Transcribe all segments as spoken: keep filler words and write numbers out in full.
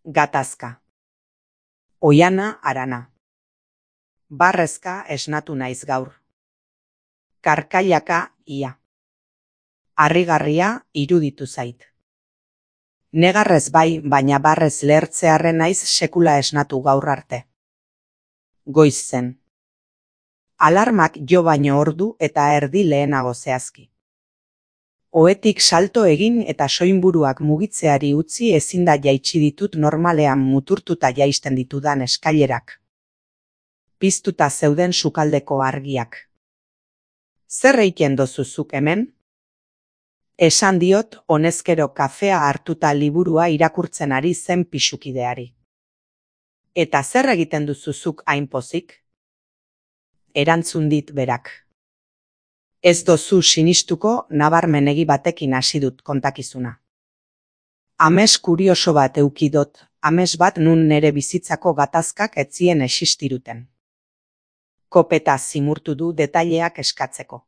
Gatazka. Oiana Arana. Barrezka esnatu naiz gaur. Karkailaka ia. Harrigarria iruditu zait. Negarrez bai, baina barrez lehertzearren naiz sekula esnatu gaur arte. Goiz zen. Alarmak jo baino ordu eta erdi lehenago zehazki. Ohetik salto egin eta soinburuak mugitzeari utzi ezinda jaitsi ditut normalean muturtuta jaisten ditudan eskailerak. Piztuta zeuden sukaldeko argiak. Zer egiten dozu zuk hemen? Esan diot honezkero kafea hartuta liburua irakurtzen ari zen pisukideari. Eta zer egiten duzu zuk hain pozik? Erantzun dit berak. Ez dozu sinistuko nabarmenegi batekin hasi dut kontakizuna. Ames kurioso bat eukidot, ames bat nun nere bizitzako gatazkak etzien existiruten. Kopeta zimurtu du detaileak eskatzeko.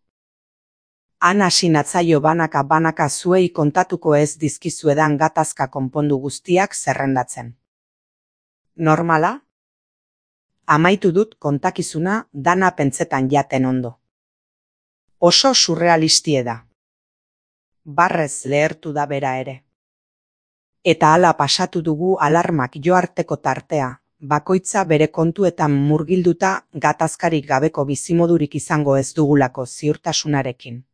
Han hasi natzaio banaka banaka zuei kontatuko ez dizkizuedan gatazka konpondu guztiak zerrendatzen. Normala? Amaitu dut kontakizuna dana pentsetan jaten ondo. Oso surrealistie da. Barrez lehertu da bera ere. Eta hala pasatu dugu alarmak jo arteko tartea, bakoitza bere kontuetan murgilduta gatazkarik gabeko bizimodurik izango ez dugulako ziurtasunarekin.